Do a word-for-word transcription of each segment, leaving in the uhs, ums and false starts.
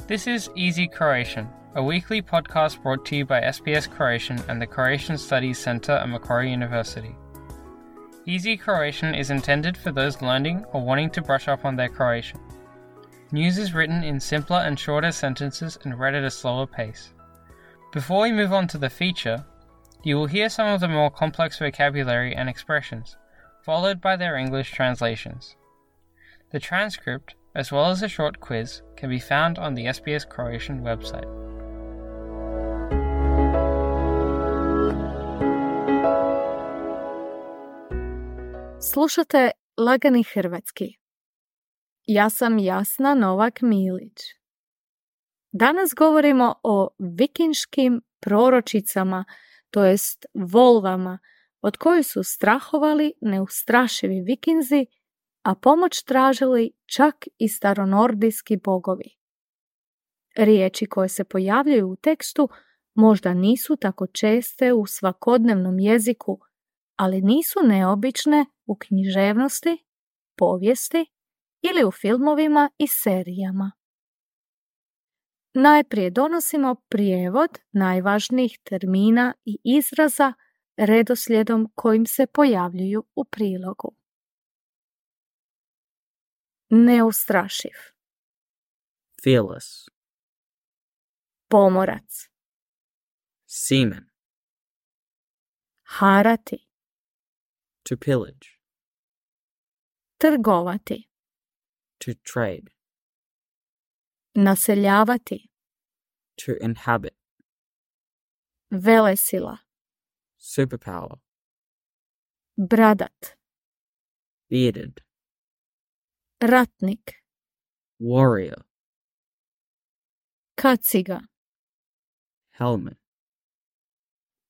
This is Easy Croatian, a weekly podcast brought to you by S B S Croatian and the Croatian Studies Centre at Macquarie University. Easy Croatian is intended for those learning or wanting to brush up on their Croatian. News is written in simpler and shorter sentences and read at a slower pace. Before we move on to the feature, you will hear some of the more complex vocabulary and expressions, followed by their English translations. The transcript, as well as a short quiz, can be found on the S B S Croatian website. Slušate Lagani hrvatski. Ja sam Jasna Novak Milić. Danas govorimo o vikinškim proročicama, to jest volvama, od kojih su strahovali neustrašivi vikinzi, a pomoć tražili čak i staronordijski bogovi. Riječi koje se pojavljaju u tekstu možda nisu tako česte u svakodnevnom jeziku, ali nisu neobične u književnosti, povijesti ili u filmovima i serijama. Najprije donosimo prijevod najvažnijih termina i izraza redoslijedom kojim se pojavljuju u prilogu. Neustrašiv. Fearless. Pomorac. Seaman. Harati. To pillage. Trgovati. To trade. Naseljavati. To inhabit. Velesila. Superpower. Bradat. Bearded. Ratnik. Warrior. Kaciga. Helmet.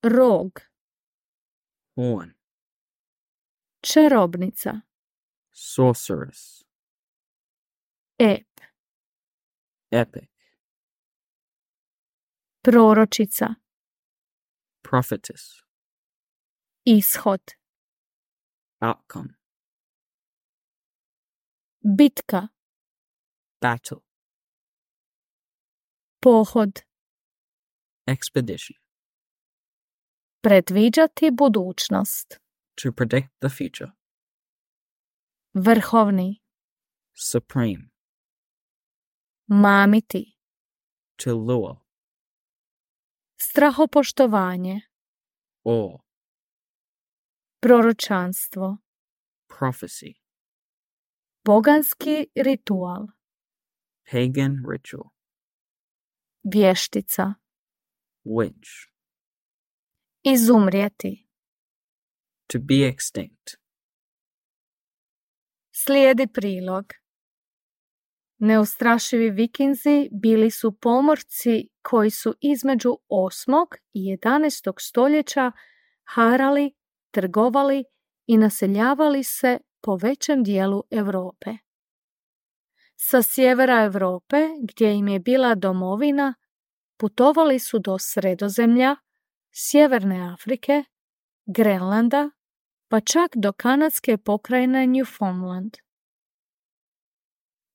Rog. Horn. Čarobnica. Sorceress. Ep. Epic. Proročica. Prophetess. Ishod. Outcome. Bitka. Battle. Pohod. Expedition. Predviđati budućnost. To predict the future. Vrhovni. Supreme. Mamiti. To lure. Strahopoštovanje. Awe. Proročanstvo. Prophecy. Boganski ritual. Pagan ritual. Vještica. Witch. Izumrijeti. To be extinct. Slijedi prilog. Neustrašivi vikinzi bili su pomorci koji su između osmog i jedanaestog stoljeća harali, trgovali i naseljavali se po većem dijelu Europe. Sa sjevera Europe, gdje im je bila domovina, putovali su do Sredozemlja, Sjeverne Afrike, Grenlanda, pa čak do kanadske pokrajine Newfoundland.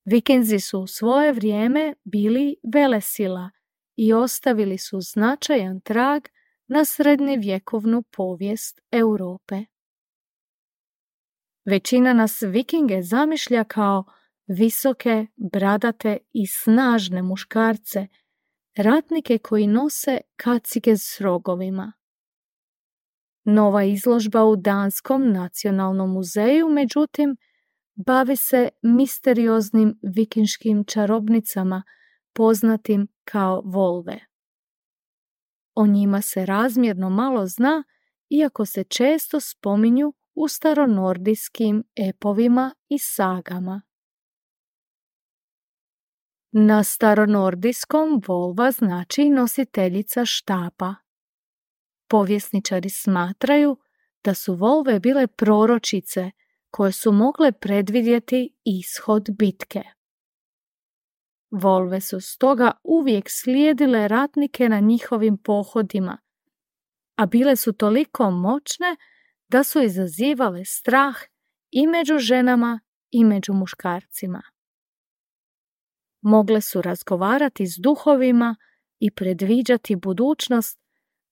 Vikinzi su u svoje vrijeme bili velesila i ostavili su značajan trag na srednjevjekovnu povijest Europe. Većina nas vikinge zamišlja kao visoke, bradate i snažne muškarce, ratnike koji nose kacige s rogovima. Nova izložba u Danskom nacionalnom muzeju, međutim, bavi se misterioznim vikinškim čarobnicama poznatim kao volve. O njima se razmjerno malo zna, iako se često spominju u staronordijskim epovima i sagama. Na staronordijskom volva znači nositeljica štapa. Povjesničari smatraju da su volve bile proročice koje su mogle predvidjeti ishod bitke. Volve su stoga uvijek slijedile ratnike na njihovim pohodima, a bile su toliko moćne da su izazivale strah i među ženama i među muškarcima. mogle su razgovarati s duhovima i predviđati budućnost,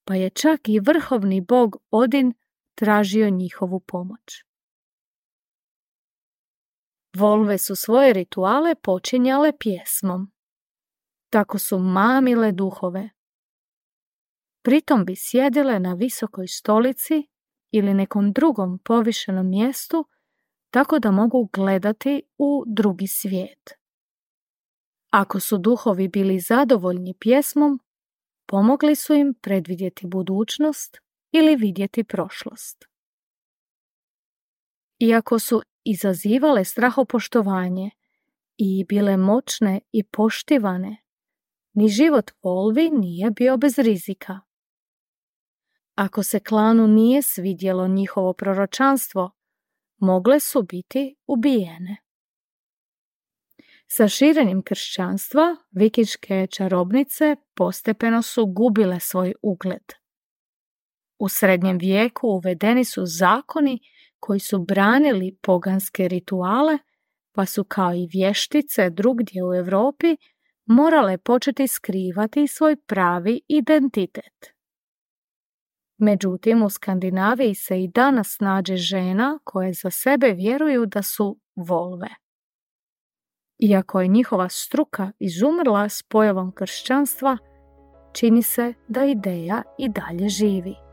pa je čak i vrhovni bog Odin tražio njihovu pomoć. Volve su svoje rituale počinjale pjesmom. Tako su mamile duhove. Pritom bi sjedile na visokoj stolici ili nekom drugom povišenom mjestu, tako da mogu gledati u drugi svijet. Ako su duhovi bili zadovoljni pjesmom, pomogli su im predvidjeti budućnost ili vidjeti prošlost. Iako su izazivale strahopoštovanje i bile moćne i poštivane, ni život volvi nije bio bez rizika. Ako se klanu nije svidjelo njihovo proročanstvo, mogle su biti ubijene. Sa širenjem kršćanstva, vikinške čarobnice postepeno su gubile svoj ugled. U srednjem vijeku uvedeni su zakoni koji su branili poganske rituale, pa su kao i vještice drugdje u Europi morale početi skrivati svoj pravi identitet. Međutim, u Skandinaviji se i danas nađe žena koje za sebe vjeruju da su volve. Iako je njihova struka izumrla s pojavom kršćanstva, čini se da ideja i dalje živi.